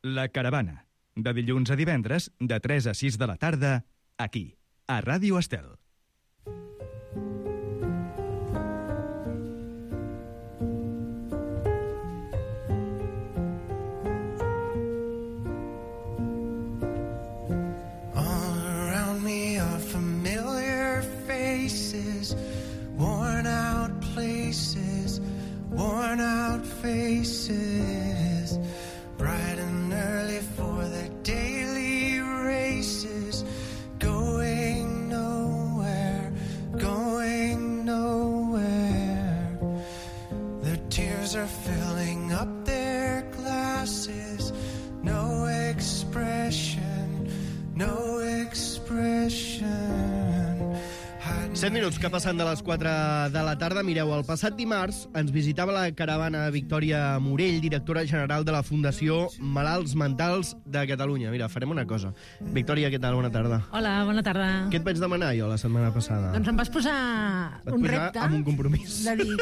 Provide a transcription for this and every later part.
La Caravana, de dilluns a divendres, de 3 a 6 de la tarda, aquí, a Ràdio Estel. Faces bright and early for the daily races, going nowhere, their tears are filling up their glasses, no expression 7 minuts que passen de les 4 de la tarda. Mireu, el passat dimarts ens visitava la caravana Victòria Morell, directora general de la Fundació Malalts Mentals de Catalunya. Mira, farem una cosa. Victòria, què tal? Bona tarda. Hola, bona tarda. Què et vaig demanar jo la setmana passada? Doncs em vas posar un repte... amb un compromís. De dir...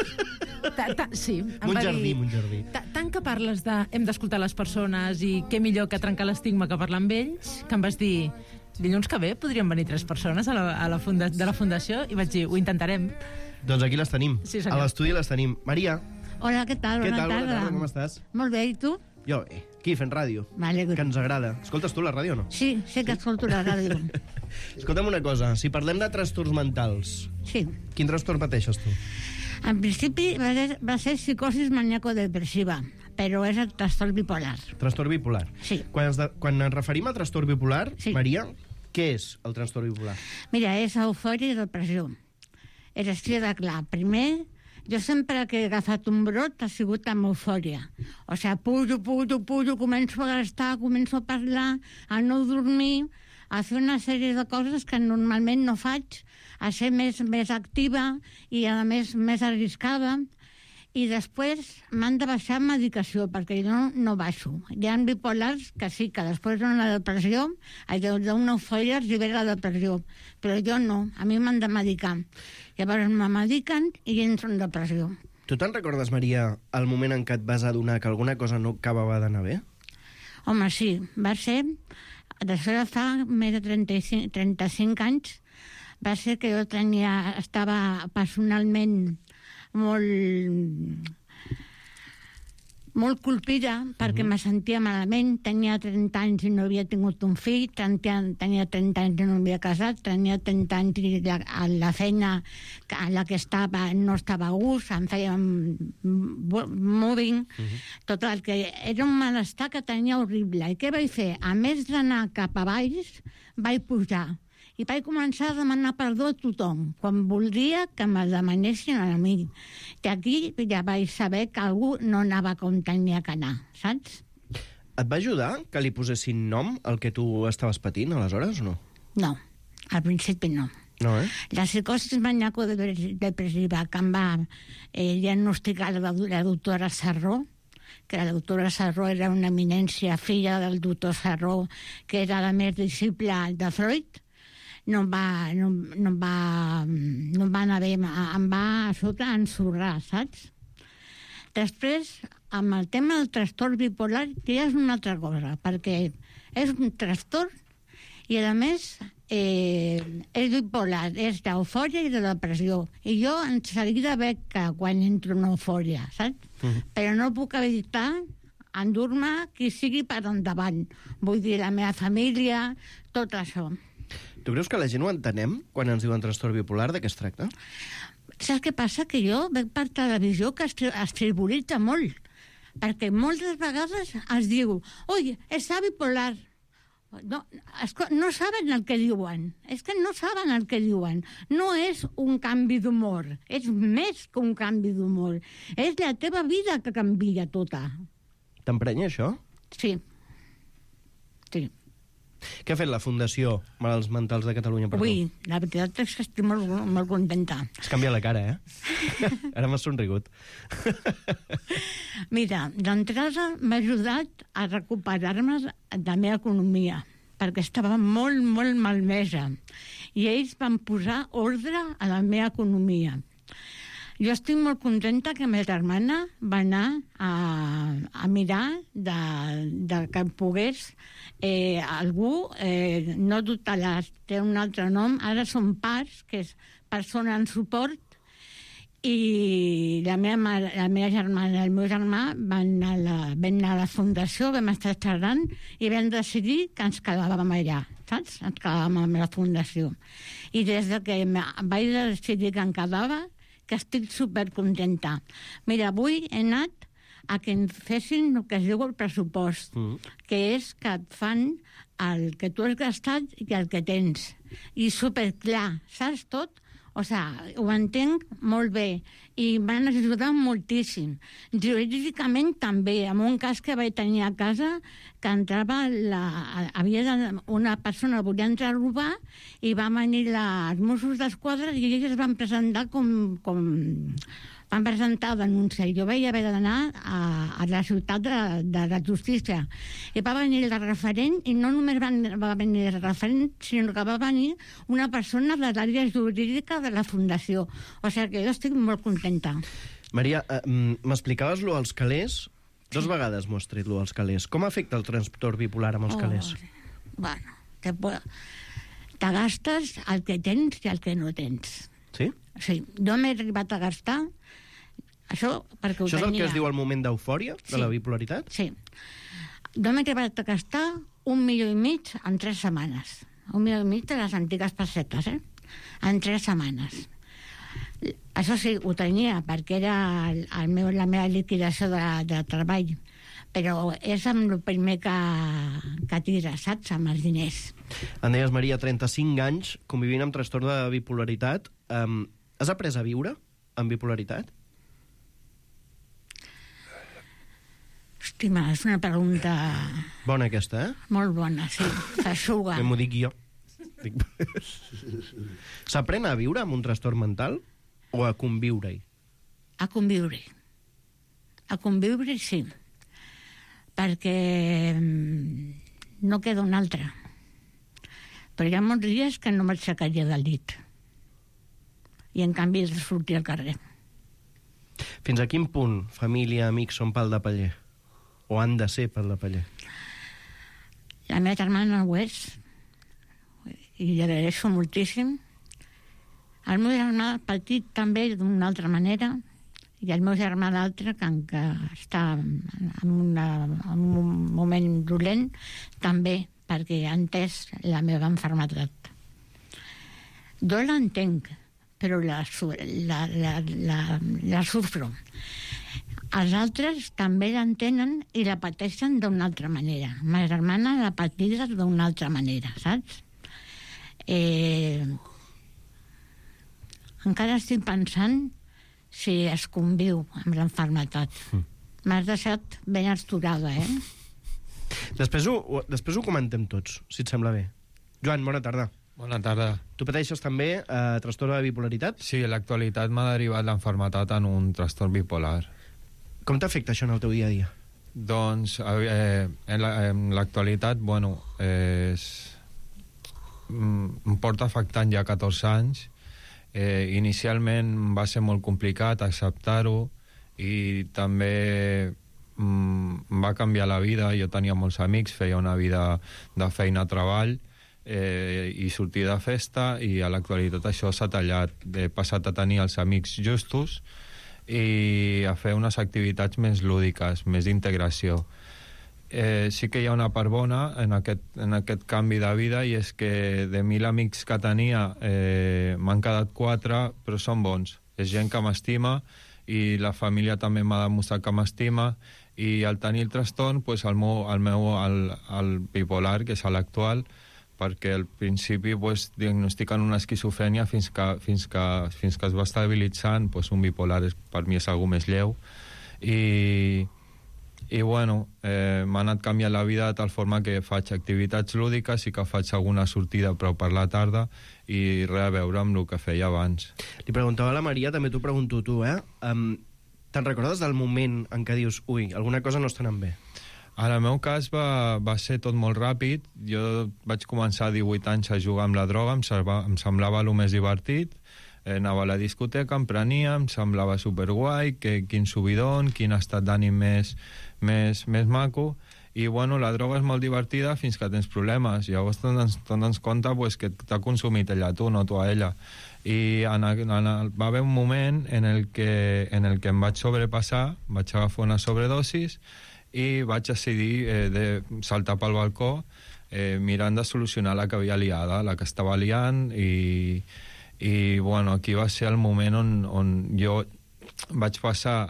Sí, em va dir... Montjardí. Tant que parles de... Hem d'escoltar les persones i què millor que trencar l'estigma que parlar amb ells, que em vas dir... Dilluns que ve podrien venir 3 persones de la Fundació i vaig dir, ho intentarem. Doncs aquí les tenim. Sí, a l'estudi les tenim. Maria. Hola, què tal? Bona tarda. Com estàs? Molt bé, i tu? Jo, aquí fent ràdio. M'alegro. Que ens agrada. Escoltes tu la ràdio o no? Sí, sé que escolto la ràdio. Escolta'm una cosa, si parlem de trastorns mentals... Sí. Quin trastorn pateixes tu? En principi va ser psicosis maníaco-depressiva, però és el trastorn bipolar. Trastorn bipolar. Sí. Quan ens referim a trastorn bipolar, sí. Maria, què és el trastorn bipolar? Mira, és eufòria i depressió. És així de clar. Primer, jo sempre que he agafat un brot ha sigut amb eufòria. O sigui, pujo, començo a gastar, començo a parlar, a no dormir, a fer una sèrie de coses que normalment no faig, a ser més activa i, a més arriscada. I després m'han de baixar medicació, perquè jo no baixo. Hi ha bipolars que sí, que després d'una depressió, d'una eufòria es libera la depressió, però jo no, a mi m'han de medicar. Llavors me mediquen i entro en depressió. Tu te'n recordes, Maria, el moment en què et vas adonar que alguna cosa no acabava d'anar bé? Home, sí, va ser... Després de fa més de 35 anys, va ser que jo estava personalment molt colpida perquè me sentia malament. Tenia 30 anys i no havia tingut un fill, tenia 30 anys i no havia casat, tenia 30 anys i la feina en la que estava no estava a gust, em feia moving, tot el que era un malestar que tenia horrible. I què vaig fer? A més d'anar cap a baix, vaig pujar i vaig començar a demanar perdó a tothom, quan voldria que me demanessin a mi. I aquí ja vaig saber que algú no anava com tenia que anar, saps? Et va ajudar que li posessin nom al que tu estaves patint, aleshores, o no? No, al principi no. No, La psicosi maníaco-depressiva que em va diagnosticar la doctora Sarró, que la doctora Sarró era una eminència, filla del doctor Sarró, que era la més disciple de Freud, no em va anar bé, em va a sota ensorrar, saps? Després, amb el tema del trastorn bipolar, que ja és una altra cosa, perquè és un trastorn i, a més, és bipolar, és d'eufòria i de depressió. I jo en seguida veig que quan entro en eufòria, saps? Però no puc evitar endur-me qui sigui per endavant. Vull dir, la meva família, tot això. Tu creus que la gent ho entenem quan ens diuen trastorn bipolar? De què es tracta? Saps què passa? Que jo veig per televisió que es frivolitza molt, perquè moltes vegades es diu oi, està bipolar. No saben el que diuen. És que no saben el que diuen. No és un canvi d'humor, és més que un canvi d'humor. És la teva vida que canvia tota. T'emprenya això? Sí. Sí. Què ha fet la Fundació Malalts Mentals de Catalunya per tu? Ui, la veritat és que estic molt contenta. Has canviat la cara, Ara m'has somrigut. Mira, d'entrada m'ha ajudat a recuperar-me de la meva economia, perquè estava molt malmesa. I ells van posar ordre a la meva economia. Jo estic molt contenta que ma germana va anar a mirar de que pogués algú, no tutelats, té un altre nom, ara són PARS, que és persona en suport, i la meva germana i el meu germà van anar a la fundació, vam estar xerrant i vam decidir que ens quedàvem allà, saps? Ens quedàvem amb la fundació. I des de que vaig decidir que em quedava, que estic supercontenta. Mira, avui he anat a que em fessin el que es diu el pressupost, que és que et fan el que tu has gastat i el que tens. I superclar, saps tot? O sigui, ho entenc molt bé i m'han ajudat moltíssim. Jurídicament també, en un cas que vaig tenir a casa, que entrava una persona volia entrar a robar i va venir els Mossos d'Esquadra i ells es van presentar van presentar denúncia i jo vaig haver d'anar a la ciutat de la justícia i va venir el referent i no només va venir el referent sinó que va venir una persona de l'àrea jurídica de la fundació, o sigui que jo estic molt contenta. Maria, m'explicaves lo als calés? 2 vegades m'ho has tret, lo als calés. Com afecta el trastorn bipolar amb els calés? Bueno, te gastes el que tens i el que no tens. Sí? Sí, jo m'he arribat a gastar això perquè ho tenia. Això és el que es diu el moment d'eufòria de la bipolaritat? Sí. Jo m'he arribat a gastar 1,5 milió en 3 setmanes. 1,5 milió de les antigues pessetes, en 3 setmanes. Això sí, ho tenia perquè era la meva liquidació de treball, però és amb el primer que tira, saps, amb els diners. Em deies, Maria, 35 anys convivint amb trastorn de bipolaritat. Has après a viure amb bipolaritat? Hòstima, és una pregunta... Bona aquesta, Molt bona, sí. S'aixuga. Que m'ho dic jo. S'aprèn a viure amb un trastorn mental o a conviure-hi? A conviure. A conviure, sí. Perquè no queda un altre. Però hi ha molts dies que no m'aixecaria del llit. I en canvi he de sortir al carrer. Fins a quin punt família, amics són pal de paller? O han de ser pal de paller? La meva germana ho és, i li agraeixo moltíssim. El meu germà petit també d'una altra manera, i el meu germà l'altre, que està en un moment dolent, també, perquè ha entès la meva malaltia. Jo l'entenc, però la sufro. Els altres també l'entenen i la pateixen d'una altra manera. Ma germana la pateix d'una altra manera, saps? Encara estic pensant si es conviu amb l'enfermetat. M'has deixat ben esturada, Després ho comentem tots, si et sembla bé. Joan, bona tarda. Bona tarda. Tu pateixes també trastorn de bipolaritat? Sí, en l'actualitat m'ha derivat l'enfermetat en un trastorn bipolar. Com t'afecta això en el teu dia a dia? Doncs, en l'actualitat, bueno, em porta afectant ja 14 anys. Inicialment va ser molt complicat acceptar-ho i també va canviar la vida. Jo tenia molts amics, feia una vida de feina a treball i sortir de festa, i a l'actualitat això s'ha tallat. He passat a tenir els amics justos i a fer unes activitats més lúdiques, més d'integració. Sí que hi ha una part bona en aquest canvi de vida, i és que de 1.000 amics que tenia m'han quedat 4, però són bons. És gent que m'estima i la família també m'ha demostrat que m'estima, i al tenir el trastorn, pues, el bipolar, que és l'actual, perquè al principi pues, diagnostiquen una esquizofrènia fins que es va estabilitzant, pues, un bipolar per mi és algo més lleu. I bueno, m'ha anat canviant la vida de tal forma que faig activitats lúdiques i que faig alguna sortida però per la tarda, i res a veure amb el que feia abans. Li preguntava a la Maria, també t'ho pregunto tu, te'n recordes del moment en què dius ui, alguna cosa no està anant bé? En el meu cas va ser tot molt ràpid. Jo vaig començar a 18 anys a jugar amb la droga, em semblava el més divertit. Anava a la discoteca, em prenia, em semblava superguai, quin subidon, quin estat d'ànim més maco, i bueno, la droga és molt divertida fins que tens problemes. Llavors t'ens compte pues, que t'ha consumit ella a tu, no tu a ella. I va haver un moment en el que em vaig sobrepassar, vaig agafar una sobredosis i vaig decidir de saltar pel balcó mirant de solucionar la que havia liada, la que estava liant, i bueno, aquí va ser el moment on jo vaig passar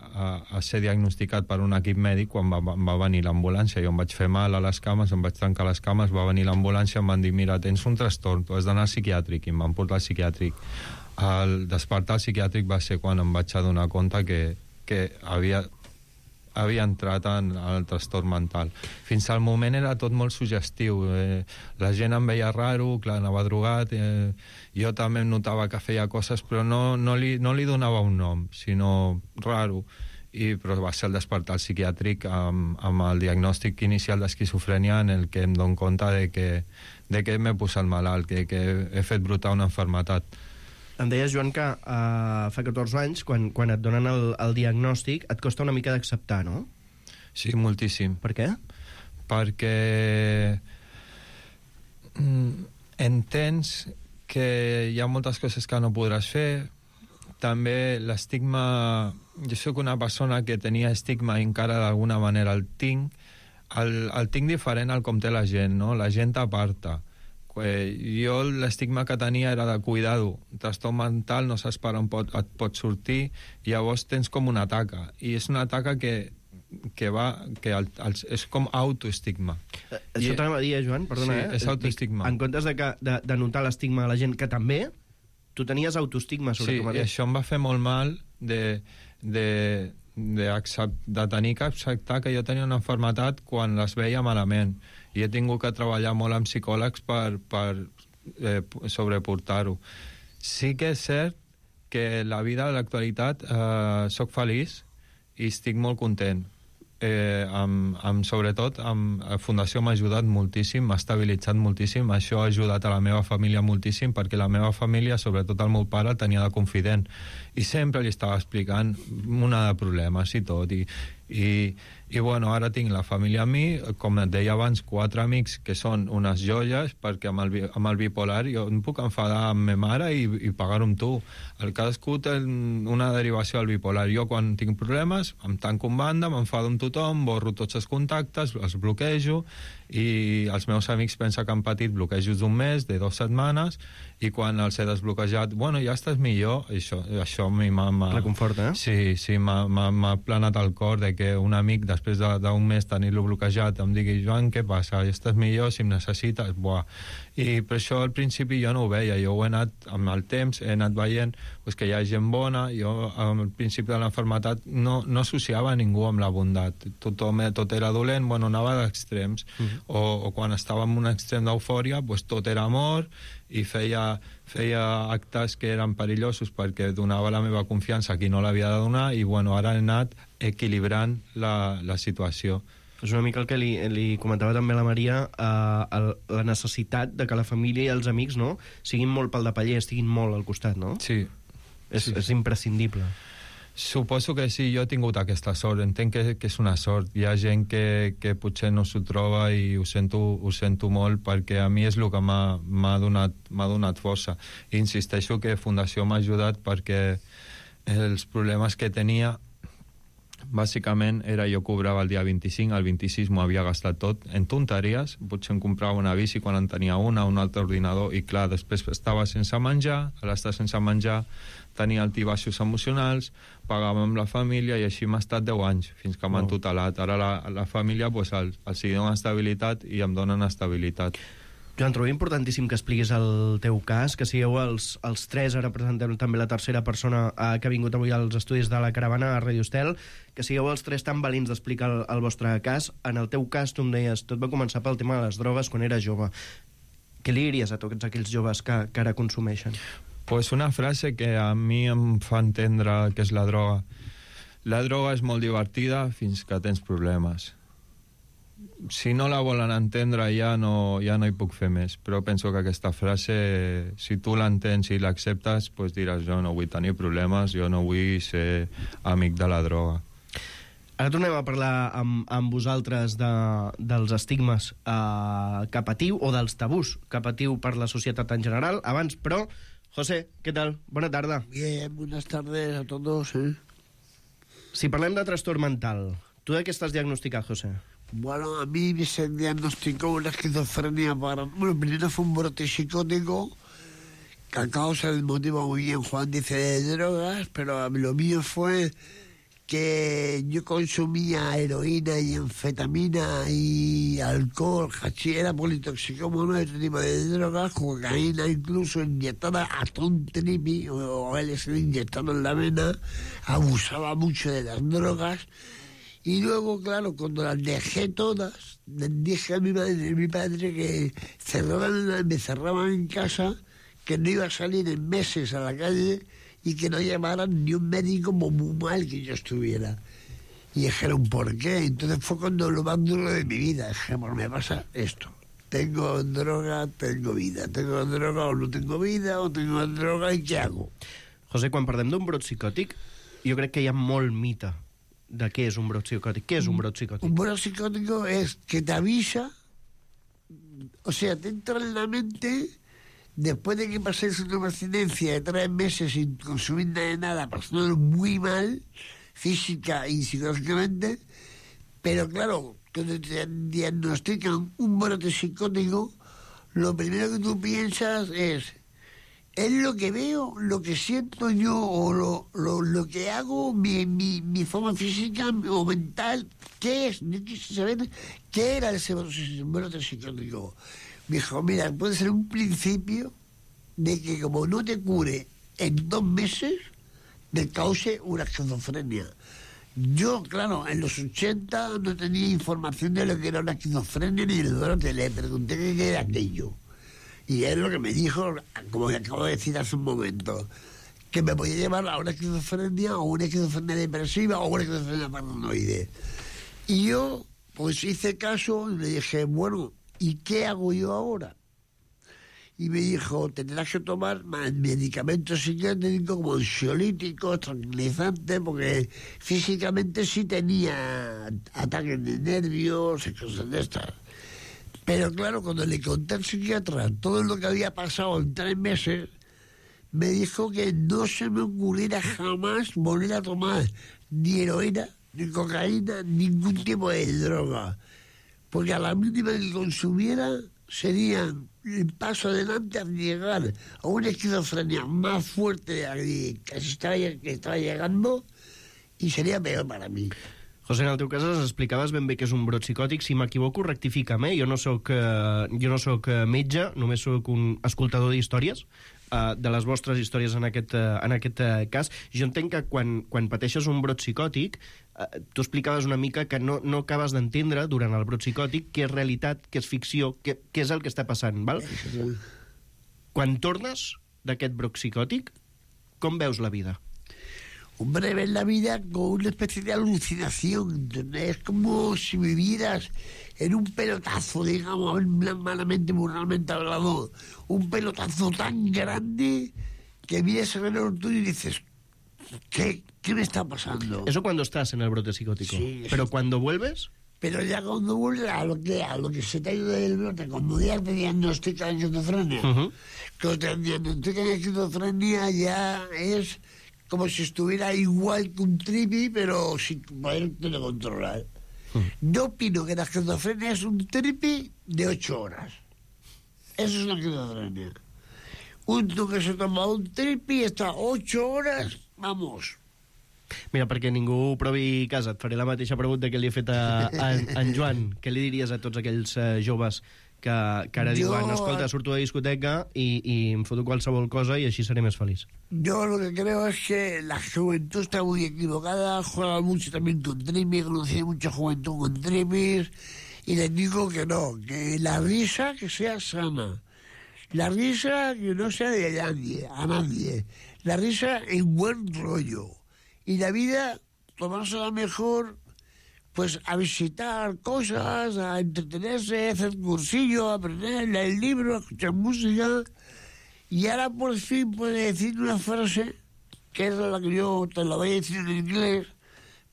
a ser diagnosticat per un equip mèdic quan va venir l'ambulància. Jo em vaig fer mal a les cames, em vaig trencar les cames, va venir l'ambulància, em van dir, mira, tens un trastorn, tu has d'anar al psiquiàtric, i em van portar al psiquiàtric. El despertar al psiquiàtric va ser quan em vaig adonar compte que havia entrat en el trastorn mental. Fins al moment era tot molt suggestiu. La gent em veia raro, clar, anava drogat, jo també em notava que feia coses, però no li donava un nom, sinó raro. Però va ser el despertar al psiquiàtric amb el diagnòstic inicial d'esquizofrènia en el que em dono compte de que m'he posat malalt, que he fet brotar una malaltia. Em deies, Joan, que fa 14 anys, quan et donen el diagnòstic, et costa una mica d'acceptar, no? Sí, moltíssim. Per què? Perquè entens que hi ha moltes coses que no podràs fer. També l'estigma... Jo sóc una persona que tenia estigma i encara d'alguna manera el tinc. El tinc diferent al com té la gent, no? La gent t'aparta. Jo l'estigma que tenia era de cuidado, trastorn mental, no saps per on et pot sortir, i llavors tens com una taca, i és una taca que és com autoestigma. Això t'anava a dir, Joan, perdona. Sí, és autoestigma. En comptes de notar l'estigma a la gent, que també, tu tenies autoestigma sobre tu mateix. Sí, això em va fer molt mal de tenir que acceptar que jo tenia una malaltia quan les veia malament, i he tingut que treballar molt amb psicòlegs per sobreportar-ho. Sí que és cert que la vida de l'actualitat soc feliç i estic molt content. Sobretot la Fundació m'ha ajudat moltíssim, m'ha estabilitzat moltíssim. Això ha ajudat a la meva família moltíssim, perquè la meva família, sobretot el meu pare, el tenia de confident i sempre li estava explicant una de problemes i tot, i bueno, ara tinc la família amb mi, com et deia abans, 4 amics que són unes joies, perquè amb el bipolar jo em puc enfadar amb ma mare i pagar-ho amb tu. El cadascú té una derivació del bipolar. Jo quan tinc problemes em tanco en banda, m'enfado amb tothom, borro tots els contactes, els bloquejo, i els meus amics pensen que han patit bloquejos d'un mes, de 2 setmanes, i quan els he desbloquejat, bueno, ja estàs millor. Això a mi m'ha... Reconforta, eh? Sí, m'ha planat el cor de que un amic, després d'un mes tenir-lo bloquejat, em digui, Joan, què passa? Ja estàs millor, si em necessites? Buah. I per això al principi jo no ho veia, jo ho he anat, amb el temps, he anat veient que hi ha gent bona. Jo al principi de l'enfermetat no associava ningú amb la bondat, tot era dolent, bueno, anava d'extrems, o quan estava en un extrem d'eufòria, tot era amor, i feia actes que eren perillosos perquè donava la meva confiança a qui no l'havia de donar, i bueno, ara he anat equilibrant la situació. És una mica el que li comentava també la Maria, la necessitat de que la família i els amics, no, siguin molt pel de paller, estiguin molt al costat, no? Sí. És imprescindible. Suposo que sí, jo he tingut aquesta sort, entenc que és una sort. Hi ha gent que potser no s'ho troba, i ho sento molt, perquè a mi és el que m'ha donat força. I insisteixo que Fundació m'ha ajudat perquè els problemes que tenia bàsicament era, jo cobrava el dia 25, el 26 m'ho havia gastat tot en tonteries, potser em comprava una bici quan en tenia un altre ordinador, i clar, després estava sense menjar, a l'estar sense menjar tenia altibaixos emocionals, pagava amb la família, i així m'ha estat 10 anys, fins que m'han tutelat. Ara la família els dona estabilitat i em donen estabilitat. Joan, trobo importantíssim que expliquis el teu cas, que sigueu els 3, ara presentem també la tercera persona que ha vingut avui als estudis de la Caravana a Radio Estel, que sigueu els 3 tan valents d'explicar el vostre cas. En el teu cas, tu em deies, tot va començar pel tema de les drogues quan eres jove. Què li diries a tots aquells joves que ara consumeixen? Pues una frase que a mi em fa entendre què és la droga. La droga és molt divertida fins que tens problemes. si no la volen entendre ja no hi puc fer més, però penso que aquesta frase, si tu l'entens i l'acceptes, doncs diràs, jo no vull tenir problemes, jo no vull ser amic de la droga. Ara tornem a parlar amb vosaltres dels estigmes que patiu, o dels tabús que patiu per la societat en general. Abans, però, José, què tal? Bona tarda. Bien, buenas tardes a todos. Si parlem de trastorn mental, tu de què estàs diagnosticat, José? Bueno, a mí se diagnosticó una esquizofrenia Bueno, primero fue un brote psicótico que a causa del motivo, muy bien Juan dice, de drogas, pero lo mío fue que yo consumía heroína y anfetamina y alcohol, hachís, era politoxicómano, este tipo de drogas, cocaína incluso inyectada hasta un tripi o LSD inyectado en la vena, abusaba mucho de las drogas. Y luego, claro, cuando las dejé todas, dije a mi madre y mi padre que me cerraban en casa, que no iba a salir en meses a la calle y que no llamaran ni un médico como muy mal que yo estuviera. Y dijeron, ¿por qué? Entonces fue cuando lo más duro de mi vida. Dije, bueno, me pasa esto. Tengo droga, tengo vida. Tengo droga o no tengo vida, o tengo droga, ¿y qué hago? José, quan parlem d'un brot psicòtic, jo crec que hi ha molt mite de què és un brot psicòtic. Què és un brot psicòtic? Un brot psicótico es que te avisa, o sea, te entra en la mente después de que paséis una abstinencia de 3 meses sin consumir nada, pasándolo muy mal, física y psicológicamente, pero claro, cuando te diagnostican un brote psicótico, lo primero que tú piensas es lo que veo, lo que siento yo, o lo que hago, mi forma física o mental, ¿qué es? Yo quise saber qué era ese brote psicótico. Me dijo, mira, puede ser un principio de que como no te cure en 2 meses, te cause una esquizofrenia. Yo, claro, en los 80 no tenía información de lo que era una esquizofrenia ni el brote. Le pregunté qué era aquello. Y es lo que me dijo, como acabo de decir hace un momento, que me podía llevar a una esquizofrenia o una esquizofrenia depresiva o una esquizofrenia paranoide. Y yo, pues hice caso y le dije, bueno, ¿y qué hago yo ahora? Y me dijo, tendrás que tomar medicamentos psiquiátricos como ansiolíticos, tranquilizantes, porque físicamente sí tenía ataques de nervios y cosas de estas. Pero claro, cuando le conté al psiquiatra todo lo que había pasado en 3 meses, me dijo que no se me ocurriera jamás volver a tomar ni heroína, ni cocaína, ningún tipo de droga. Porque a la mínima que consumiera sería el paso adelante a llegar a una esquizofrenia más fuerte que estaba llegando y sería peor para mí. José, en el teu cas ens explicaves ben bé què és un brot psicòtic. Si m'equivoco, rectifica'm, Jo no soc metge, només soc un escoltador d'històries, de les vostres històries en aquest cas. Jo entenc que quan pateixes un brot psicòtic, tu explicaves una mica que no acabes d'entendre durant el brot psicòtic què és realitat, què és ficció, què és el que està passant, val? Quan tornes d'aquest brot psicòtic, com veus la vida? Hombre, ves la vida con una especie de alucinación. Es como si vivieras en un pelotazo, digamos, malamente, moralmente hablado, un pelotazo tan grande que miras alrededor tuyo y dices, ¿qué me está pasando? Eso cuando estás en el brote psicótico. Sí, pero cuando vuelves... Pero ya cuando vuelves a lo que se te ha ido del brote, cuando ya te diagnostican esquizofrenia, cuando te diagnostican esquizofrenia ya es como si estuviera igual que un tripi, pero sin poderte controlar. Yo opino que la esquizofrenia es un tripi de 8 horas. Eso es una esquizofrenia. Uno que se toma un tripi està 8 horas, vamos. Mira, perquè ningú provi casa, et faré la mateixa pregunta que li he fet a en Joan. Què li diries a tots aquells joves que ara diuen, escolta, surto de discoteca y em foto qualsevol cosa y així seré més feliç? Yo lo que creo es que la juventud está muy equivocada, juega mucho también con tripis, conocí mucha juventud con tripis, y les digo que no, que la risa que sea sana, la risa que no sea de nadie, a nadie, la risa en buen rollo, y la vida tomársela mejor, pues a visitar cosas, a entretenerse, a hacer cursillo, a aprender, leer libros, a escuchar música. Y ahora por fin puede decir una frase, que es la que yo te la voy a decir en inglés,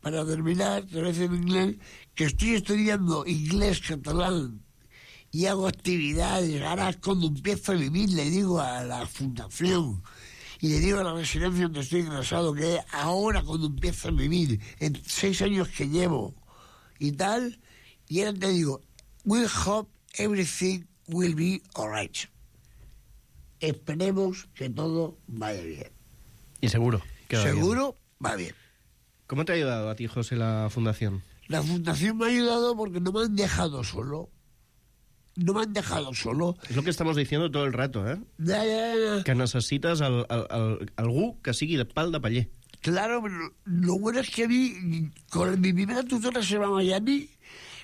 para terminar, te lo voy a decir en inglés, que estoy estudiando inglés, catalán, y hago actividades. Ahora cuando empiezo a vivir le digo a la fundación y le digo a la residencia donde estoy ingresado que ahora cuando empiezo a vivir, en 6 años que llevo y tal, y ahora te digo, we hope everything will be alright. Esperemos que todo vaya bien. Y seguro. Que va Seguro va bien. ¿Cómo te ha ayudado a ti, José, la fundación? La fundación me ha ayudado porque no me han dejado solo. No me han dejado solo. És el que estamos diciendo todo el rato, ¿eh? Ya. Que necessites algú que sigui de pal de paller. Claro, pero lo bueno es que a mí, con mi primera tutora se llama Yani,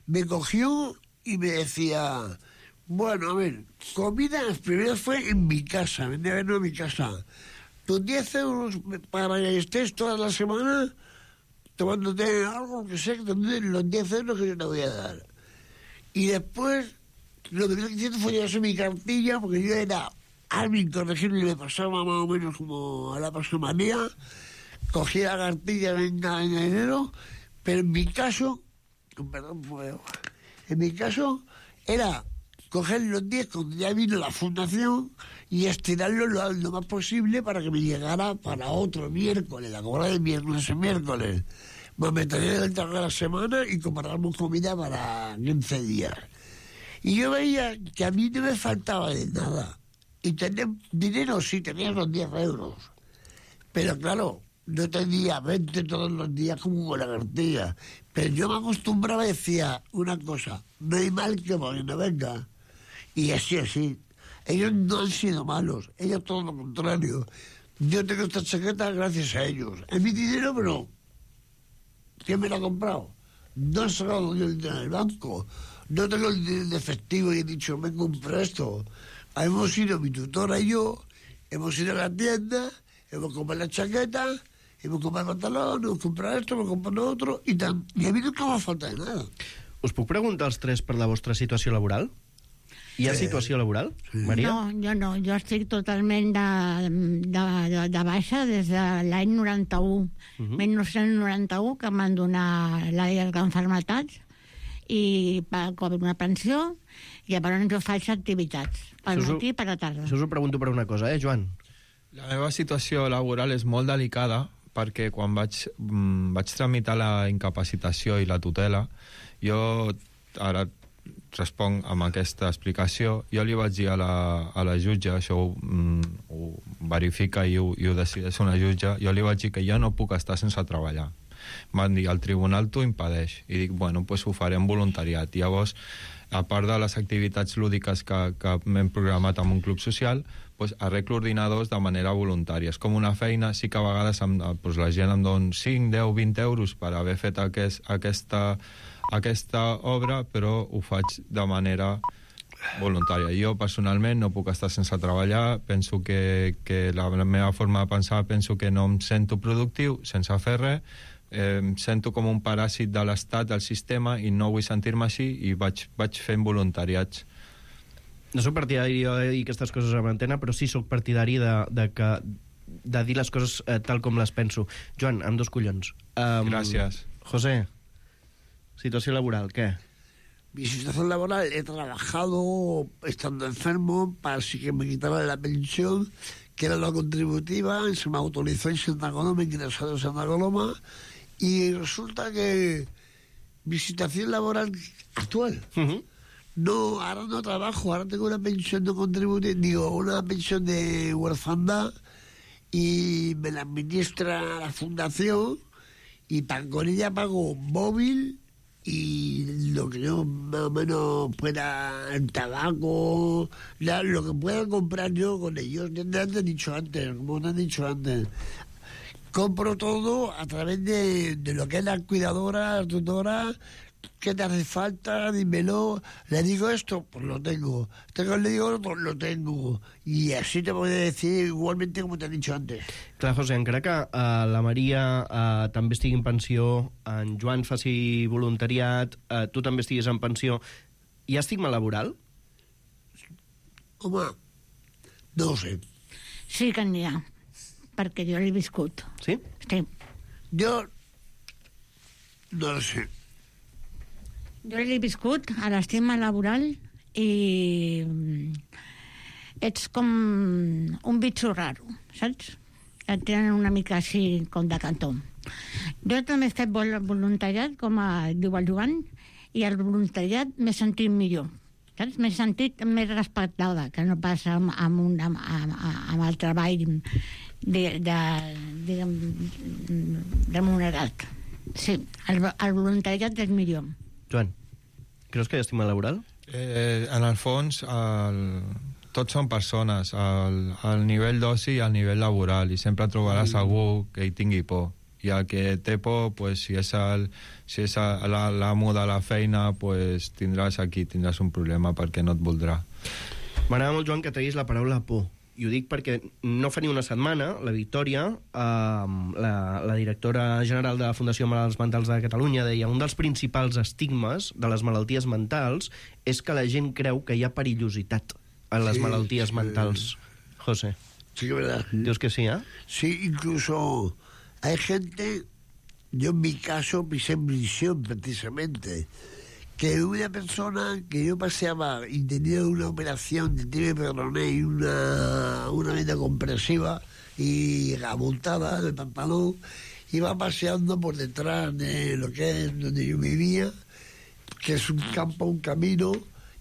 me cogió y me decía, bueno, a ver, comida, primero fue en mi casa, venía a verlo en mi casa. Tus 10 euros para que estés toda la semana tomándote algo que sé, los 10 euros que yo te voy a dar. Y después, lo que estoy diciendo fue llevarse mi cartilla, porque yo era admin corregible y me pasaba más o menos como a la pasomanía. Cogía la cartilla en enero, pero en mi caso, era coger los 10 cuando ya vino la fundación y estirarlo lo más posible para que me llegara para otro miércoles, la cobra de miércoles en miércoles. Me metería en el trabajo de la semana y compramos comida para 15 días. Y yo veía que a mí no me faltaba de nada. Y tener dinero, sí, tenía los 10 euros. Pero claro, no tenía 20 todos los días como con la cartilla. Pero yo me acostumbraba y decía una cosa, no hay mal que por no venga. Y así. Ellos no han sido malos, ellos todo lo contrario. Yo tengo esta chaqueta gracias a ellos. Es mi dinero, pero ¿quién me lo ha comprado? No he sacado yo el dinero del banco. No tengo el dinero de efectivo y he dicho, me compro esto. Hemos ido, mi tutora y yo, hemos ido a la tienda, hemos comprado la chaqueta, hemos comprado el pantalón, hemos comprado esto, hemos comprado lo otro, y a mí nunca me falta de nada. Us puc preguntar als tres per la vostra situació laboral? Hi ha situació laboral, Maria? No, jo no. Jo estic totalment de baixa des de l'any 91. 1991, que em van donar la d'enfermetats i com una pensió, i llavors jo faig activitats per matí i per la tarda. Això us ho pregunto per una cosa, Joan? La meva situació laboral és molt delicada perquè quan vaig tramitar la incapacitació i la tutela, jo ara responc amb aquesta explicació. Jo li vaig dir a la jutge, això ho verifica i ho decideix una jutge, jo li vaig dir que jo no puc estar sense treballar. Van dir, el tribunal t'ho impedeix. I dic, bueno, doncs ho faré en voluntariat. Llavors, a part de les activitats lúdiques que m'hem programat amb un club social, doncs arreglo ordinadors de manera voluntària. És com una feina, sí que a vegades doncs la gent em dona 5, 10, 20 euros per haver fet aquesta obra, però ho faig de manera voluntària. Jo personalment no puc estar sense treballar, penso que la meva forma de pensar, penso que no em sento productiu sense fer res, em sento com un paràsit de l'estat, del sistema, i no vull sentir-me així, i vaig fent voluntariats. No soc partidari de dir aquestes coses a l'antena, però sí soc partidari de dir les coses tal com les penso. Joan, amb 2 collons. Gràcies. José, situació laboral, ¿qué? Mi situación laboral, he trabajado estando enfermo para así que me quitaran la pensión, que era la contributiva, se me autorizó en Santa Coloma, ingresado en Santa Coloma, y resulta que mi situación laboral actual, no, ahora no trabajo, ahora tengo una pensión de contributiva, digo, una pensión de huerfandad, y me la administra la fundación, y con ella pago móvil y lo que yo más o menos pueda, el tabaco, lo que pueda comprar yo con ellos. Ya te han dicho antes, como te han dicho antes, compro todo a través de lo que es la cuidadora, la tutora, ¿qué te hace falta? Dímelo. Le digo esto, pues lo tengo. Le digo otro, lo tengo. I així te voy a decir igualmente como te he dicho antes. Clar, José, encara que la Maria també estigui en pensió, en Joan faci voluntariat, tu també estiguis en pensió, hi ha estigma laboral? Home, no ho sé. Sí que n'hi ha, perquè jo l'he viscut. Sí? Sí. Jo no ho sé. Jo l'he viscut a l'estima laboral i ets com un bitxo raro, saps? Et tenen una mica així com de cantó. Jo també he fet voluntariat, com diu el Joan, i el voluntariat m'he sentit millor. Saps? M'he sentit més respectada, que no passa amb el treball remunerat. Sí, el voluntariat és millor. Joan, creus que hi ha estigma laboral? En el fons, tots són persones, al nivell d'oci i al nivell laboral, i sempre trobaràs algú que hi tingui por. I el que té por, pues, si és l'amo de la feina, pues, tindràs un problema perquè no et voldrà. M'agrada molt, Joan, que treguis la paraula por. I ho dic perquè no fa ni una setmana, la Victòria, la directora general de la Fundació Malalts Mentals de Catalunya, deia un dels principals estigmes de les malalties mentals és que la gent creu que hi ha perillositat en les malalties mentals. José. Sí, que verdad. Dius que sí, Sí, incluso hay gente, yo en mi caso pisé en prisión precisamente, que una persona que yo paseaba y tenía una operación de tibia peroné y una vena compresiva y abultada en el pantalón, iba paseando por detrás de lo que es donde yo vivía, que es un campo, un camino,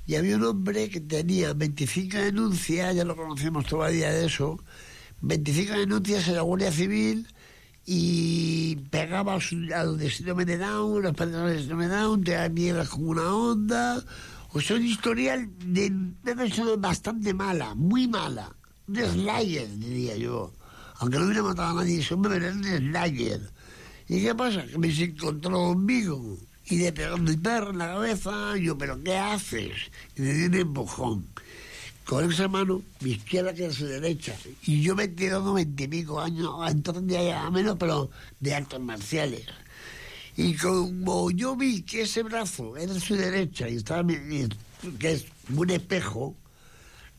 y había un hombre que tenía 25 denuncias, ya lo conocemos todavía de eso, 25 denuncias en la Guardia Civil, y pegaba a los de síndrome de Down, las personas de síndrome de Down, te da mierdas como una onda. O sea, un historial de una persona bastante mala, muy mala. Un slayer, diría yo. Aunque no hubiera matado a nadie ese hombre, pero era un slayer. ¿Y qué pasa? Que me se encontró conmigo y le pegó mi perro en la cabeza. Y yo, ¿pero qué haces? Y le di un empujón. Con esa mano, mi izquierda que es su derecha. Y yo me he tirado 20 y pico años, entonces ya menos, pero de artes marciales. Y como yo vi que ese brazo era su derecha y estaba que es un espejo,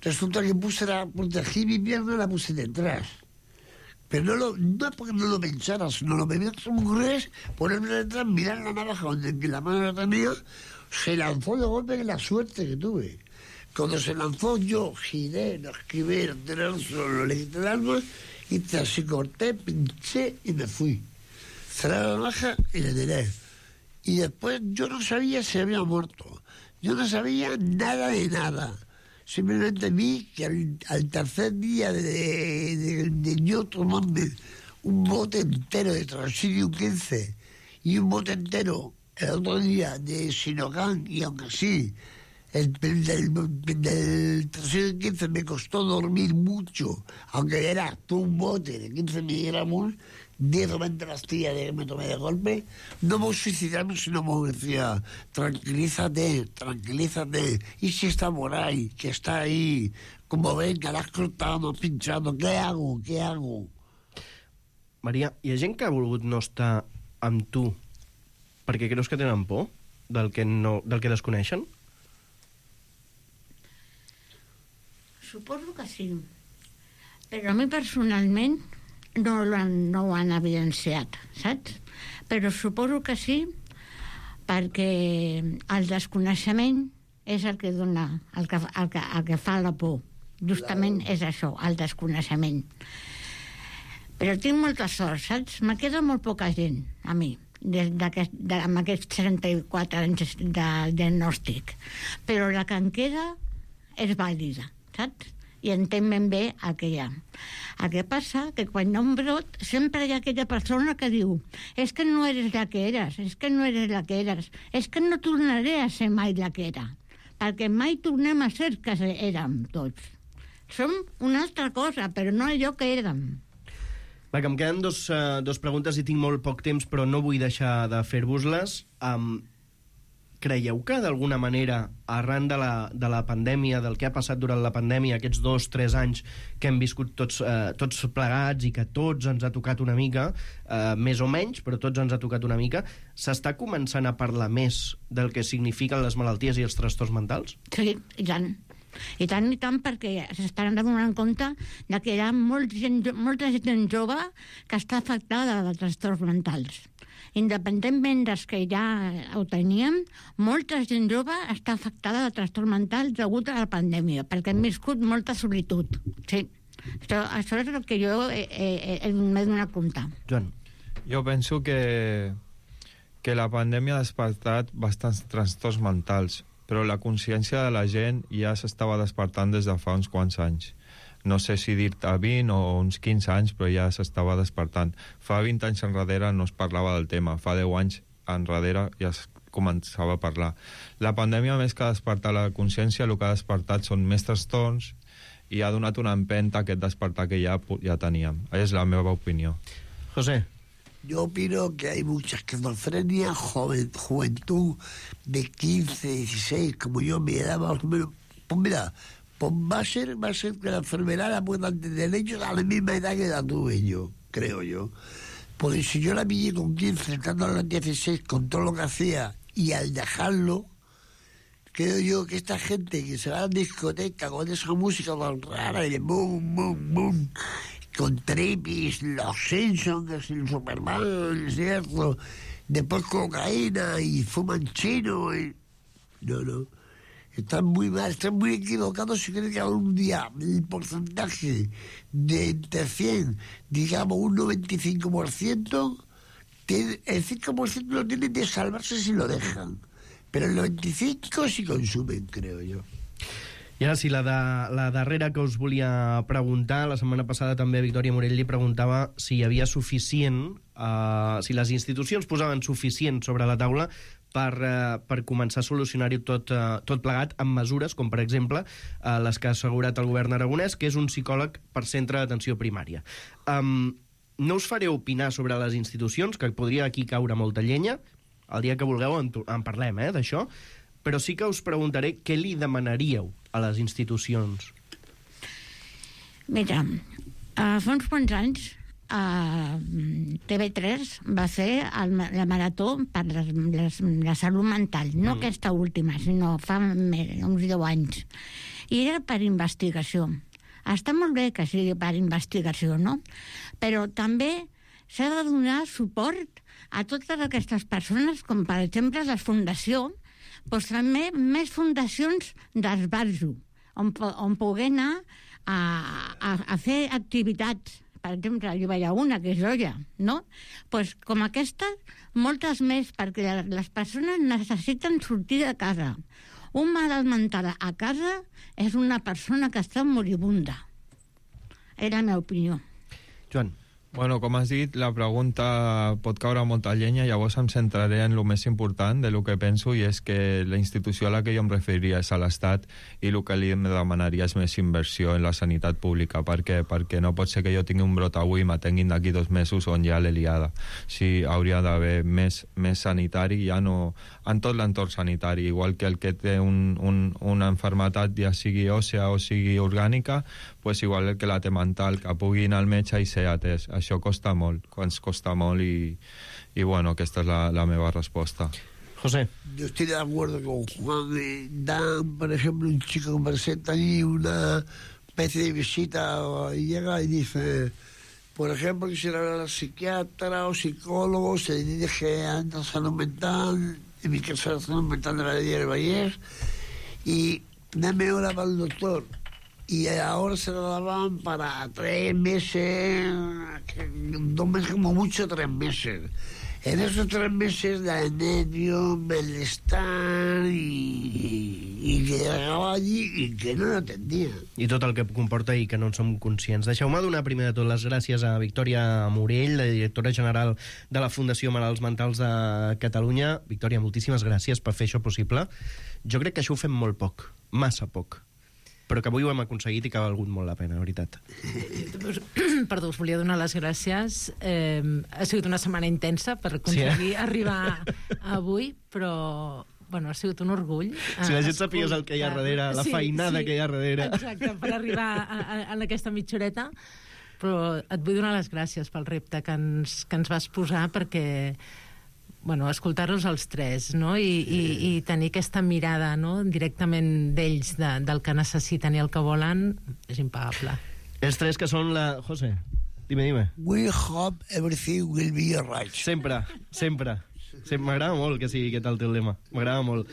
resulta que protegí mi pierna y la puse detrás. Pero no es porque no lo pensara, sino lo primero que se me ocurrió es ponerme detrás, mirar la navaja donde la mano la tenía, se lanzó de golpe, que la suerte que tuve. Cuando se lanzó, yo giré, lo esquivé, lo tiré al suelo, le quité el arma y así corté, pinché y me fui. Cerré la navaja y le tiré. Y después yo no sabía si había muerto. Yo no sabía nada de nada. Simplemente vi que al tercer día de yo tomarme un bote entero de Transilium 15 y un bote entero el otro día de Sinocan, y aunque sí, del Transilium 15 me costó dormir mucho, aunque era un bote de 15 miligramos, 10 o 20 pastillas que me tomé de golpe, no voy a suicidarme, sino me decía, tranquilízate, y si está por ahí, que está ahí, como ven, que l'has cortado, m'has pinchado, què hago? Maria, hi ha gent que ha volgut no estar amb tu perquè creus que tenen por del que desconeixen? Suposo que sí, però a mi personalment no ho han evidenciat, saps? Però suposo que sí, perquè el desconeixement és el que dona, el que fa la por. Justament és això, el desconeixement. Però tinc molta sort, saps? Me queda molt poca gent, a mi, amb aquests 34 anys de diagnòstic. Però la que em queda és vàlida, saps? I entenc ben bé el que hi ha. El que passa que quan hi ha un brot sempre hi ha aquella persona que diu és que no eres la que eres, és que no eres la que eres, és que no tornaré a ser mai la que era, perquè mai tornem a ser que érem tots. Som una altra cosa, però no allò que érem. Va, que em queden dos preguntes i tinc molt poc temps, però no vull deixar de fer-vos-les. creieu que d'alguna manera, arran de la pandèmia, del que ha passat durant la pandèmia, aquests 2-3 anys que hem viscut tots plegats i que tots ens ha tocat una mica, més o menys, però tots ens ha tocat una mica, s'està començant a parlar més del que signifiquen les malalties i els trastorns mentals? Sí, i tant. I tant, perquè s'estan donant compte que hi ha molta gent jove que està afectada de trastorns mentals. Independentment dels que ja ho teníem, molta gent jove està afectada de trastorns mentals degut a la pandèmia, perquè hem viscut molta solitud. Sí, això és el que jo m'he donat compte. Joan. Jo penso que la pandèmia ha despertat bastants trastorns mentals, però la consciència de la gent ja s'estava despertant des de fa uns quants anys. No sé si dir-te 20 o uns 15 anys, però ja s'estava despertant. Fa 20 anys enrere no es parlava del tema, fa 10 anys enrere ja es començava a parlar. La pandèmia, més que despertar la consciència, el que ha despertat són més trastorns i ha donat una empenta a aquest despertar que ja teníem. És la meva opinió. José. Yo opino que hay mucha esquizofrenia, juventud de 15, 16, como yo, mi edad más o menos. Pues mira, pues va a ser que la enfermedad la puedan tener ellos a la misma edad que la tuve yo, creo yo. Porque si yo la pillé con 15, estando a los 16, con todo lo que hacía, y al dejarlo, creo yo que esta gente que se va a la discoteca con esa música tan rara y de boom, boom, boom, con tripis, los Simpsons, el Superman, ¿cierto? Después cocaína y fuman chino. No. Están muy mal, están muy equivocados si creen que algún día el porcentaje de entre 100, digamos un 95%, el 5% lo tienen de salvarse si lo dejan. Pero el 95% sí consumen, creo yo. I ara sí, la darrera que us volia preguntar, la setmana passada també Victòria Morell li preguntava si hi havia suficient, si les institucions posaven suficient sobre la taula per començar a solucionar-ho tot plegat amb mesures, com per exemple les que ha assegurat el govern aragonès, que és un psicòleg per centre d'atenció primària. No us faré opinar sobre les institucions, que podria aquí caure molta llenya, el dia que vulgueu en parlem, d'això, però sí que us preguntaré què li demanaríeu a les institucions. Mira, fa uns quants anys TV3 va fer la marató per la salut mental, no aquesta última, sinó fa uns 10 anys. I era per investigació. Està molt bé que sigui per investigació, no? Però també s'ha de donar suport a totes aquestes persones, com per exemple la Fundació, doncs també més fundacions d'esbarjo, on poder anar a fer activitats. Per exemple, hi veia una, que és Olla, no? Doncs com aquesta, moltes més, perquè les persones necessiten sortir de casa. Un malalt mental a casa és una persona que està moribunda. Era la meva opinió. Joan. Bueno, com has dit, la pregunta pot caure molta llenya, llavors em centraré en el més important de lo que penso, i és que la institució a la que jo em referiria és a l'Estat, i el que li demanaria és més inversió en la sanitat pública. Per què? Perquè no pot ser que jo tingui un brot avui i m'atenguin d'aquí 2 mesos on ja l'he liada. Sí, hauria d'haver més sanitari, ja no en tot l'entorn sanitari, igual que el que té una malaltia, ja sigui òssea o sigui orgànica, pues igual el que la té mental, que pugui anar al metge i ser atès. Això costa molt, ens costa molt, i bueno, aquesta és la meva resposta. José. Yo estoy de acuerdo con Juan. Dan, por ejemplo, un chico que presenta allí una especie de visita y llega y dice, por ejemplo, quisiera hablar a psiquiatra o psicólogo, se dirige a la salud mental, en mi caso la salud mental de la Ley del Valle, y dame hora para el doctor. Y ahora se lo daban para 3 meses, 2 meses como mucho, 3 meses. En esos 3 meses de nervio, malestar i que llegava allí i que no l'atendien. I tot el que comporta i que no en som conscients. Deixeu-me donar primer de tot les gràcies a Victòria Morell, la directora general de la Fundació Malalts Mentals de Catalunya. Victòria, moltíssimes gràcies per fer això possible. Jo crec que això ho fem molt poc, massa poc, però que avui ho hem aconseguit i que ha valgut molt la pena, de veritat. Perdó, us volia donar les gràcies. Ha sigut una setmana intensa per aconseguir arribar avui, però bueno, ha sigut un orgull. Si la gent sapigués el que hi ha darrere, la feinada que hi ha darrere. Exacte, per arribar en aquesta mitja horeta. Però et vull donar les gràcies pel repte que ens vas posar, perquè bueno, escoltar-los els tres, no? I tenir aquesta mirada, no? Directament d'ells, del que necessiten i el que volen, és impagable. Els tres que són la... José, dime. We hope everything will be alright. Sempre. M'agrada molt que sigui aquest el teu lema. M'agrada molt.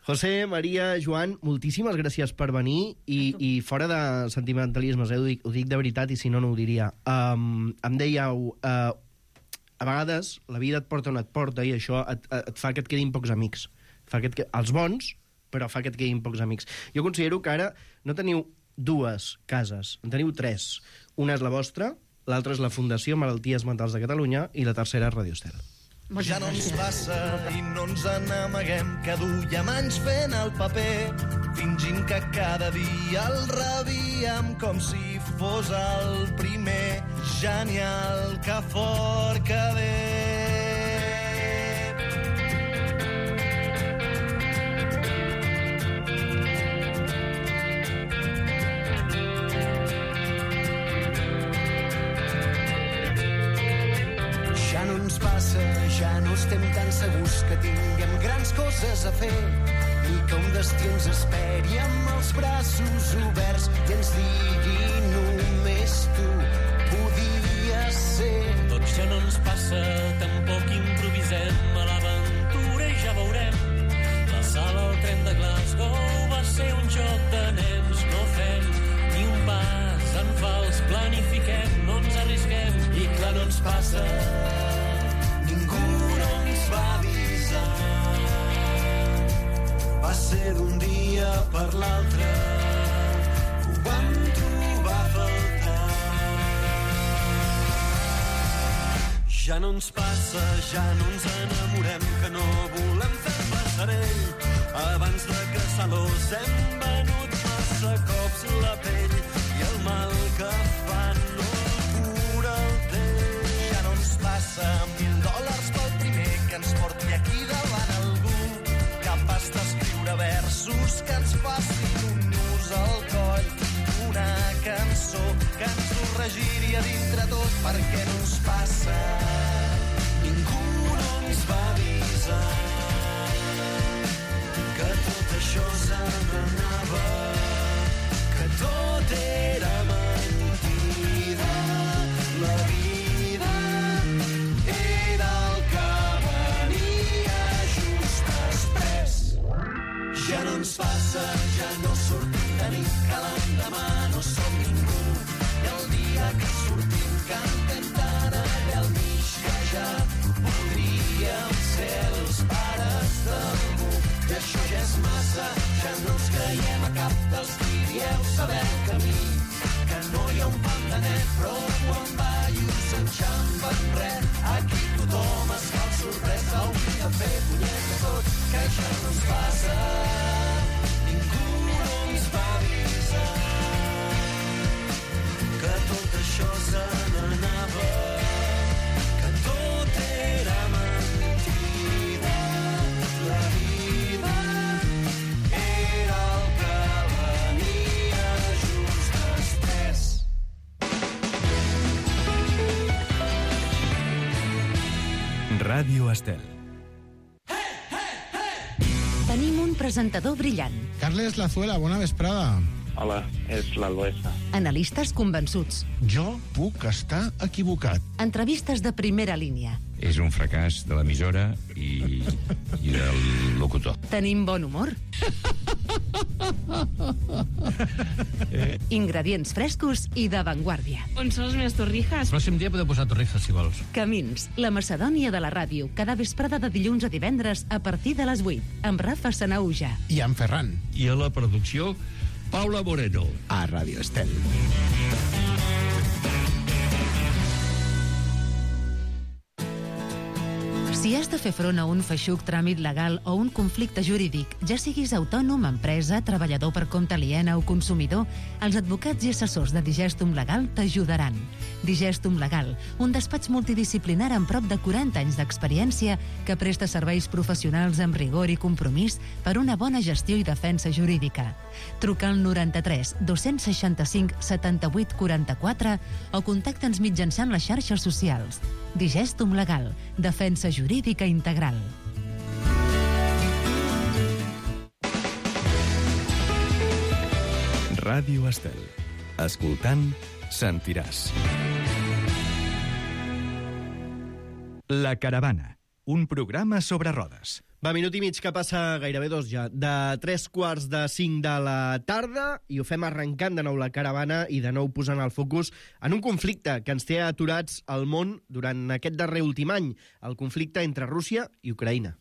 José, Maria, Joan, moltíssimes gràcies per venir i fora de sentimentalismes, ho dic de veritat i si no, no ho diria. Em dèieu, a vegades la vida et porta on et porta i això et fa que et quedin pocs amics. Els bons, però fa que et quedin pocs amics. Jo considero que ara no teniu 2 cases, en teniu 3. Una és la vostra, l'altra és la Fundació Malalties Mentals de Catalunya i la tercera és Radio Estel. Ja no ens passa i no ens n'amaguem, que duiem anys fent el paper, fingint que cada dia el rebíem com si fos el primer. Genial, que fort que ve. Ja no ens passa, ja no estem tan segurs que tinguem grans coses a fer, ni que un destí ens esperi amb els braços oberts i ens digui només tu podies ser. Doncs ja no ens passa, tampoc improvisem a l'aventura i ja veurem. La sala al tren de Glasgow va ser un joc de nens, no fem ni un pas en fals, planifiquem, no ens arrisquem i clar no ens passa. Va ser d'un dia per l'altre, ho vam trobar a faltar. Ja no ens passa, ja no ens enamorem, que no volem fer passarell. Abans de caçar-los hem venut massa cops la pell i el mal que fan no el cura el temps. Ja no ens passa, $1.000 pel primer que ens porti aquí davant algú capaç d'escriure versos que ens facin un nus al coll, una cançó que ens ho regiria dintre tot. Perquè no ens passa, ningú no ens va avisar que tot això se n'anava, que tot era mentida, la vida era el que venia just després. Ja no ens passa, ja no sortim de nit, que l'endemà no som ningú. I el dia que sortim cantem tant allà al mig que ja podríem ser els pares d'algú. I això ja és massa, ja no ens creiem a cap dels que dieu saber el camí, que no hi ha un pam de net, però en ballos enxampa en res. Aquí tothom es fa el sorprès, hauria de fer punyet de tot, que ja no ens passa. Ningú no ens va avisar que tot això se n'anava, que tot era mentida, la vida era el que venia just després. Ràdio Estel. Tenim un presentador brillant. Carles Lazuela, bona vesprada. Hola, és l'Albesa. Analistes convençuts. Jo puc estar equivocat. Entrevistes de primera línia. És un fracàs de l'emissora i del locutor. Tenim bon humor. Ingredients frescos i d'avantguàrdia. On són les meves torrijas? El pròxim dia podeu posar torrijas, si vols. Camins, la Macedònia de la ràdio, cada vesprada de dilluns a divendres a partir de les 8, amb Rafa Sanauja. I amb Ferran. I a la producció, Paula Moreno. A Ràdio Estel. Si has de fer front a un feixuc tràmit legal o un conflicte jurídic, ja siguis autònom, empresa, treballador per compte aliena o consumidor, els advocats i assessors de Digestum Legal t'ajudaran. Digestum Legal, un despatx multidisciplinar amb prop de 40 anys d'experiència que presta serveis professionals amb rigor i compromís per una bona gestió i defensa jurídica. Truca al 93 265 78 44 o contacta'ns mitjançant les xarxes socials. Digestum Legal, defensa jurídica integral. Ràdio Estel. Escoltant, sentiràs. La Caravana, un programa sobre rodes. Va, minut i mig que passa, gairebé 2 ja, de 3:45 de la tarda, i ho fem arrencant de nou la Caravana i de nou posant el focus en un conflicte que ens té aturats al món durant aquest darrer últim any, el conflicte entre Rússia i Ucraïna.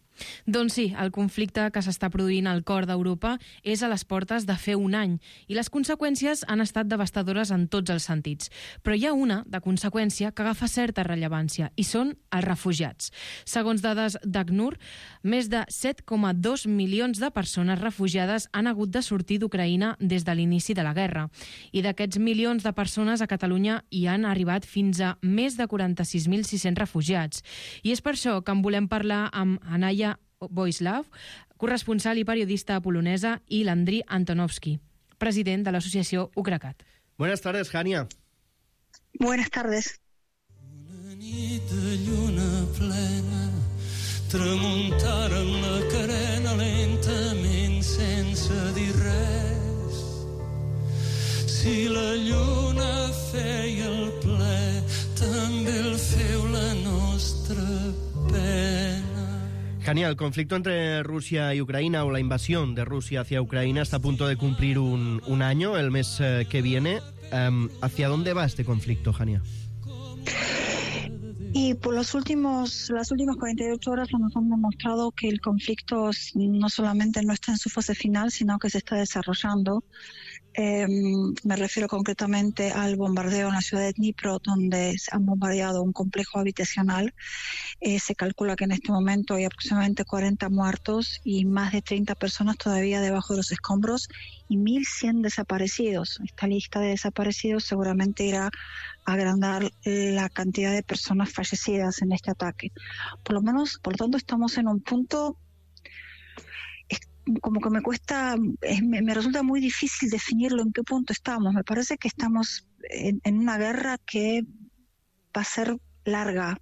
Doncs sí, el conflicte que s'està produint al cor d'Europa és a les portes de fer un any i les conseqüències han estat devastadores en tots els sentits. Però hi ha una de conseqüència que agafa certa rellevància i són els refugiats. Segons dades d'ACNUR, més de 7,2 milions de persones refugiades han hagut de sortir d'Ucraïna des de l'inici de la guerra. I d'aquests milions de persones a Catalunya hi han arribat fins a més de 46.600 refugiats. I és per això que en volem parlar amb Anaya Boislav, corresponsal i periodista polonesa, i l'Andriy Antonovsky, president de l'associació Ucracat. Buenas tardes, Hania. Buenas tardes. Una nit de lluna plena, tramuntaren la carena lentament sense dir res. Si la lluna feia el ple, també el feu la nostra pena. Hania, el conflicto entre Rusia y Ucrania, o la invasión de Rusia hacia Ucrania, está a punto de cumplir un año, el mes que viene. ¿Hacia dónde va este conflicto, Hania? Y por las últimas 48 horas nos han demostrado que el conflicto no solamente no está en su fase final, sino que se está desarrollando. Me refiero concretamente al bombardeo en la ciudad de Dnipro, donde se han bombardeado un complejo habitacional. Se calcula que en este momento hay aproximadamente 40 muertos y más de 30 personas todavía debajo de los escombros y 1.100 desaparecidos. Esta lista de desaparecidos seguramente irá a agrandar la cantidad de personas fallecidas en este ataque. Por lo tanto, estamos en un punto como que me resulta muy difícil definirlo en qué punto estamos. Me parece que estamos en una guerra que va a ser larga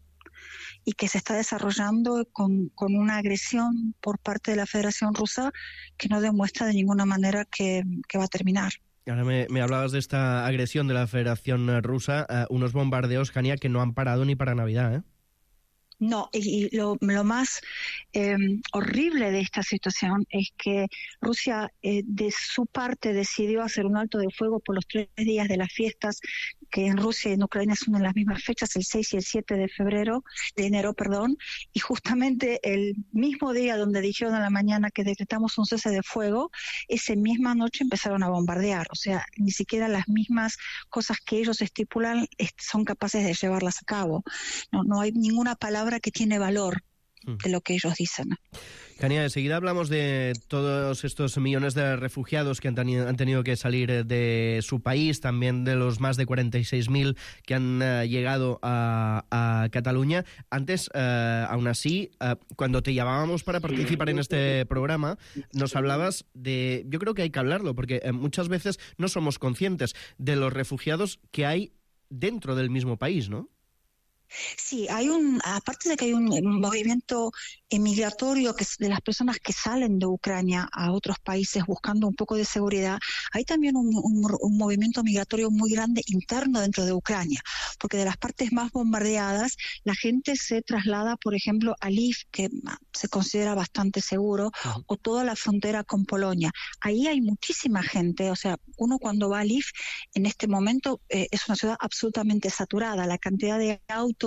y que se está desarrollando con una agresión por parte de la Federación Rusa que no demuestra de ninguna manera que va a terminar. Ahora me hablabas de esta agresión de la Federación Rusa, unos bombardeos, Hania, que no han parado ni para Navidad, ¿eh? No, y lo más horrible de esta situación es que Rusia de su parte decidió hacer un alto de fuego por los 3 días de las fiestas, que en Rusia y en Ucrania son en las mismas fechas, el 6 y el 7 de enero, y justamente el mismo día donde dijeron a la mañana que decretamos un cese de fuego, esa misma noche empezaron a bombardear. O sea, ni siquiera las mismas cosas que ellos estipulan son capaces de llevarlas a cabo. No hay ninguna palabra que tiene valor de lo que ellos dicen. Hania, enseguida hablamos de todos estos millones de refugiados que han tenido que salir de su país, también de los más de 46.000 que han llegado a Cataluña. Antes, aún así, cuando te llamábamos para participar en este programa, nos hablabas de... Yo creo que hay que hablarlo, porque muchas veces no somos conscientes de los refugiados que hay dentro del mismo país, ¿no? Sí, aparte de que hay un movimiento migratorio de las personas que salen de Ucrania a otros países buscando un poco de seguridad, hay también un movimiento migratorio muy grande interno dentro de Ucrania, porque de las partes más bombardeadas la gente se traslada, por ejemplo, a Lviv, que se considera bastante seguro, o toda la frontera con Polonia. Ahí hay muchísima gente, o sea, uno cuando va a Lviv en este momento es una ciudad absolutamente saturada, la cantidad de autos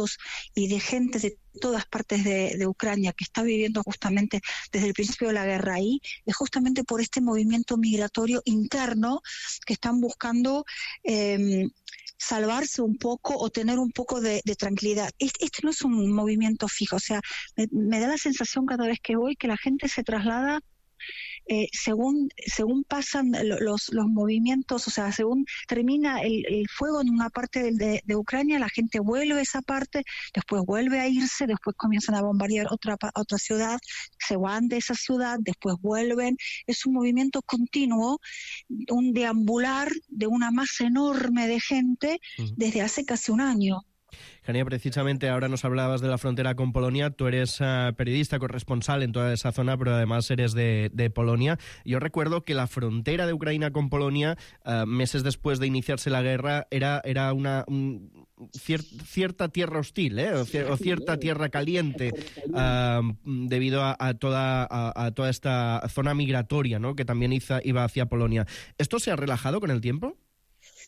y de gente de todas partes de Ucrania que está viviendo justamente desde el principio de la guerra ahí, es justamente por este movimiento migratorio interno que están buscando salvarse un poco o tener un poco de tranquilidad. Este no es un movimiento fijo, o sea, me da la sensación cada vez que voy que la gente se traslada según pasan los movimientos, o sea, según termina el fuego en una parte de Ucrania, la gente vuelve a esa parte, después vuelve a irse, después comienzan a bombardear otra ciudad, se van de esa ciudad, después vuelven. Es un movimiento continuo, un deambular de una masa enorme de gente desde hace casi un año. Hania, precisamente ahora nos hablabas de la frontera con Polonia. Tú eres periodista corresponsal en toda esa zona, pero además eres de Polonia. Yo recuerdo que la frontera de Ucrania con Polonia, meses después de iniciarse la guerra, era una cierta tierra hostil, o cierta tierra caliente, debido a toda esta zona migratoria, ¿no?, que también iba hacia Polonia. ¿Esto se ha relajado con el tiempo?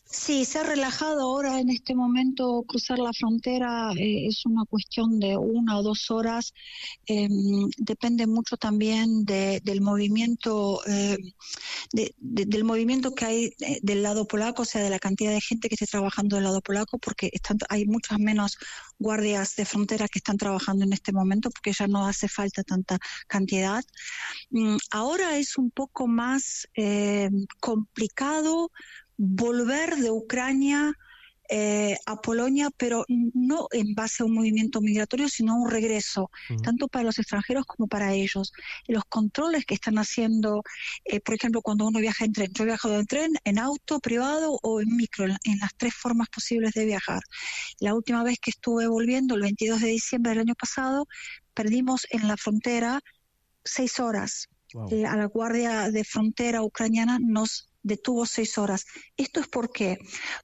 Sí, se ha relajado ahora en este momento. Cruzar la frontera es una cuestión de 1 o 2 horas. Depende mucho también del movimiento del movimiento que hay del lado polaco, o sea, de la cantidad de gente que esté trabajando del lado polaco, porque hay muchas menos guardias de frontera que están trabajando en este momento, porque ya no hace falta tanta cantidad. Ahora es un poco más complicado volver de Ucrania a Polonia, pero no en base a un movimiento migratorio, sino a un regreso, tanto para los extranjeros como para ellos. Los controles que están haciendo, por ejemplo, cuando uno viaja en tren. Yo he viajado en tren, en auto, privado o en micro, en las 3 formas posibles de viajar. La última vez que estuve volviendo, el 22 de diciembre del año pasado, perdimos en la frontera 6 horas. Wow. A la guardia de frontera ucraniana nos detuvo 6 horas. ¿Esto es por qué?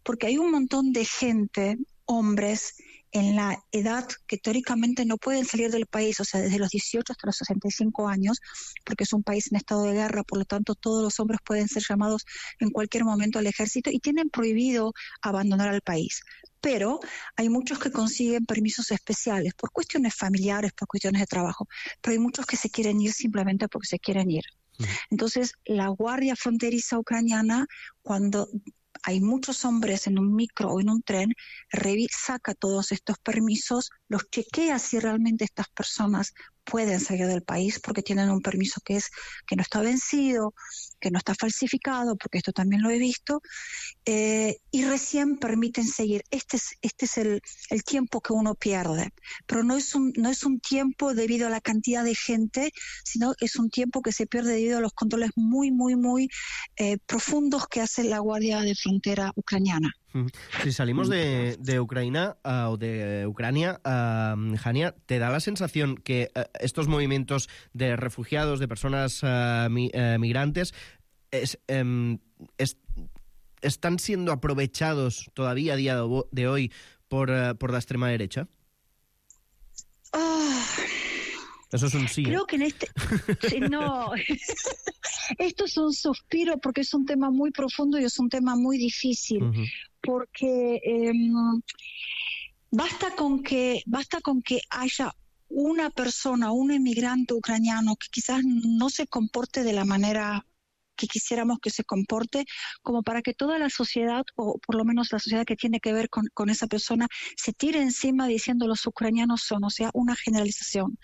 Porque hay un montón de gente, hombres, en la edad que teóricamente no pueden salir del país, o sea, desde los 18 hasta los 65 años, porque es un país en estado de guerra, por lo tanto todos los hombres pueden ser llamados en cualquier momento al ejército y tienen prohibido abandonar el país. Pero hay muchos que consiguen permisos especiales por cuestiones familiares, por cuestiones de trabajo, pero hay muchos que se quieren ir simplemente porque se quieren ir. Entonces, la guardia fronteriza ucraniana, cuando hay muchos hombres en un micro o en un tren, saca todos estos permisos, los chequea si realmente estas personas pueden salir del país porque tienen un permiso que no está vencido, que no está falsificado, porque esto también lo he visto, y recién permiten seguir. Este es el tiempo que uno pierde, pero no es un tiempo debido a la cantidad de gente, sino es un tiempo que se pierde debido a los controles muy, muy, muy profundos que hace la Guardia de Frontera ucraniana. Si salimos de Ucrania o de Ucrania, Hania, ¿te da la sensación que estos movimientos de refugiados, de personas migrantes, están siendo aprovechados todavía a día de hoy por la extrema derecha? Eso es un sí. Creo que en no, esto es un suspiro porque es un tema muy profundo y es un tema muy difícil, porque basta con que haya una persona, un inmigrante ucraniano que quizás no se comporte de la manera que quisiéramos que se comporte, como para que toda la sociedad, o por lo menos la sociedad que tiene que ver con esa persona, se tire encima diciendo los ucranianos son, o sea, una generalización.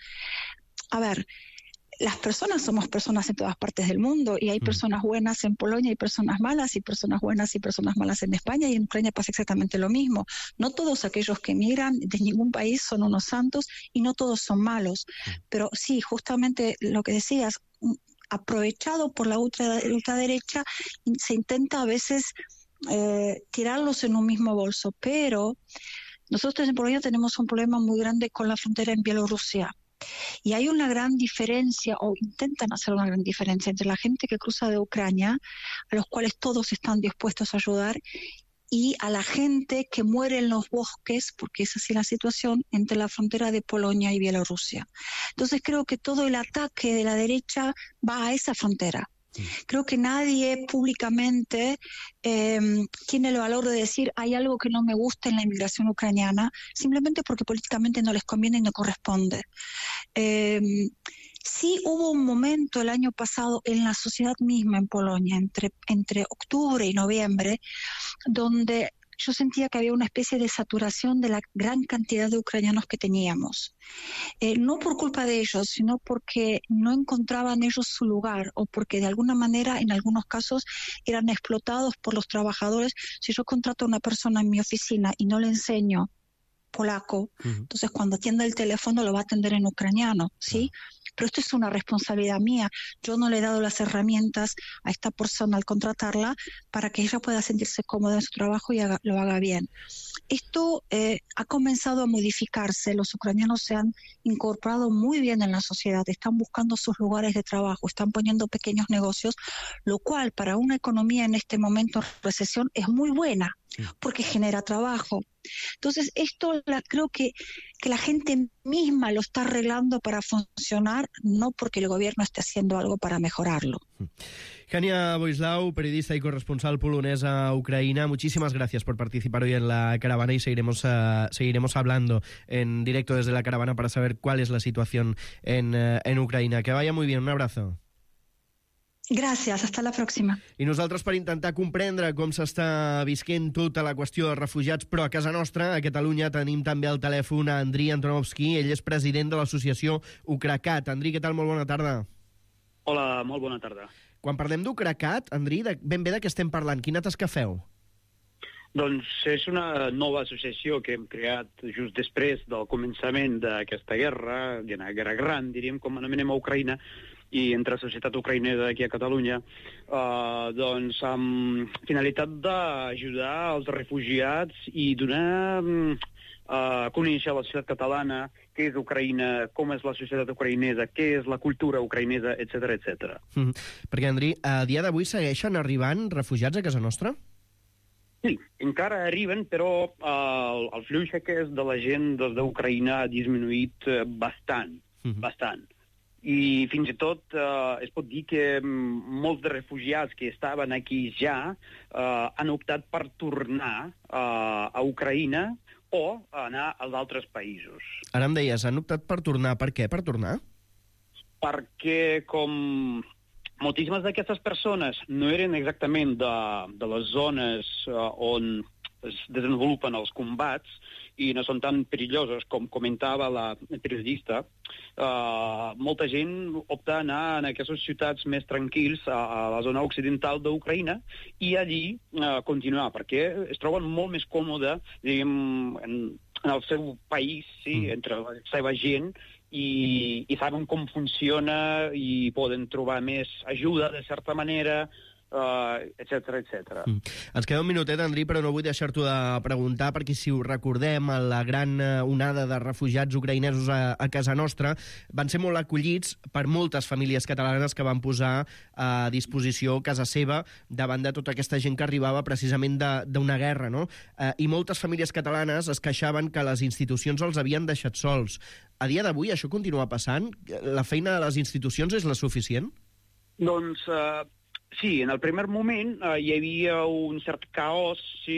A ver, las personas somos personas en todas partes del mundo y hay personas buenas en Polonia y personas malas y personas buenas y personas malas en España, y en Ucrania pasa exactamente lo mismo. No todos aquellos que emigran de ningún país son unos santos y no todos son malos. Pero sí, justamente lo que decías, aprovechado por la ultraderecha, se intenta a veces tirarlos en un mismo bolso. Pero nosotros en Polonia tenemos un problema muy grande con la frontera en Bielorrusia. Y hay una gran diferencia, o intentan hacer una gran diferencia, entre la gente que cruza de Ucrania, a los cuales todos están dispuestos a ayudar, y a la gente que muere en los bosques, porque es así la situación, entre la frontera de Polonia y Bielorrusia. Entonces creo que todo el ataque de la derecha va a esa frontera. Creo que nadie públicamente tiene el valor de decir hay algo que no me gusta en la inmigración ucraniana, simplemente porque políticamente no les conviene y no corresponde. Sí hubo un momento el año pasado en la sociedad misma en Polonia, entre octubre y noviembre, donde yo sentía que había una especie de saturación de la gran cantidad de ucranianos que teníamos. No por culpa de ellos, sino porque no encontraban ellos su lugar o porque de alguna manera, en algunos casos, eran explotados por los trabajadores. Si yo contrato a una persona en mi oficina y no le enseño polaco, entonces cuando atienda el teléfono lo va a atender en ucraniano, ¿sí? Pero esto es una responsabilidad mía. Yo no le he dado las herramientas a esta persona al contratarla para que ella pueda sentirse cómoda en su trabajo y lo haga bien. Esto ha comenzado a modificarse. Los ucranianos se han incorporado muy bien en la sociedad, están buscando sus lugares de trabajo, están poniendo pequeños negocios, lo cual para una economía en este momento de recesión es muy buena, porque genera trabajo. Entonces, esto creo que la gente misma lo está arreglando para funcionar, no porque el gobierno esté haciendo algo para mejorarlo. Hania Boislau, periodista y corresponsal polonés a Ucrania, muchísimas gracias por participar hoy en la caravana y seguiremos hablando en directo desde la caravana para saber cuál es la situación en Ucrania. Que vaya muy bien, un abrazo. Gràcies, hasta la pròxima. I nosaltres per intentar comprendre com s'està visquent tota la qüestió dels refugiats, però a casa nostra, a Catalunya, tenim també al telèfon a Andriy Antonovsky, ell és president de l'associació Ucracat. Andriy, què tal? Molt bona tarda. Hola, molt bona tarda. Quan parlem d'Ucracat, Andriy, ben bé de què estem parlant? Quina tasca feu? Doncs és una nova associació que hem creat just després del començament d'aquesta guerra, una guerra gran, diríem, com anomenem a Ucraïna, i entre la societat ucraïnesa aquí a Catalunya, doncs amb finalitat d'ajudar els refugiats i donar a conèixer la societat catalana, què és Ucraïna, com és la societat ucraïnesa, què és la cultura ucraïnesa, etc etc. Perquè, Andriy, a dia d'avui segueixen arribant refugiats a casa nostra? Sí, encara arriben, però el flux aquest de la gent des d'Ucraïna ha disminuït bastant, bastant. I fins i tot es pot dir que molts de refugiats que estaven aquí ja han optat per tornar a Ucraïna o anar als altres països. Ara em deies, han optat per tornar. Per què per tornar? Perquè com moltíssimes d'aquestes persones no eren exactament de les zones on es desenvolupen els combats i no són tan perilloses com comentava la periodista, molta gent opta a anar en aquestes ciutats més tranquils a la zona occidental d'Ucraïna i allí continuar, perquè es troben molt més còmode, diguem, en el seu país, sí, entre la seva gent, i saben com funciona i poden trobar més ajuda, de certa manera, etc etc. Ens queda un minutet, Andriy, però no vull deixar-t'ho de preguntar, perquè si ho recordem, la gran onada de refugiats ucraïnesos a casa nostra van ser molt acollits per moltes famílies catalanes que van posar a disposició casa seva davant de tota aquesta gent que arribava precisament d'una guerra, no? I moltes famílies catalanes es queixaven que les institucions els havien deixat sols. A dia d'avui això continua passant? La feina de les institucions és la suficient? Doncs sí, en el primer moment hi havia un cert caos, sí,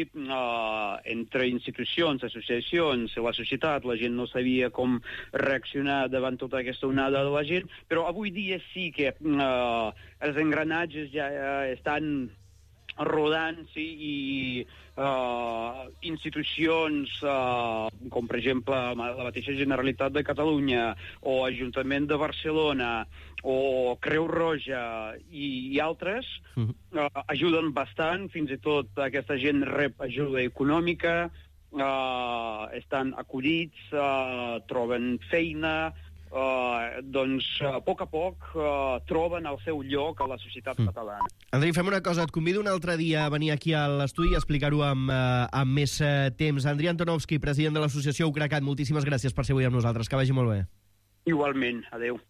entre institucions, associacions i la societat. La gent no sabia com reaccionar davant tota aquesta onada de la gent, però avui dia sí que els engranatges ja estan rodant, sí, i institucions com per exemple la mateixa Generalitat de Catalunya o Ajuntament de Barcelona o Creu Roja i altres ajuden bastant, fins i tot aquesta gent rep ajuda econòmica, estan acollits, troben feina, doncs a poc troben el seu lloc a la societat catalana. Andriy, fem una cosa, et convido un altre dia a venir aquí a l'estudi i explicar-ho amb més temps. Andriy Antonovsky, president de l'associació Ucracat, moltíssimes gràcies per ser avui amb nosaltres, que vagi molt bé. Igualment, adeu.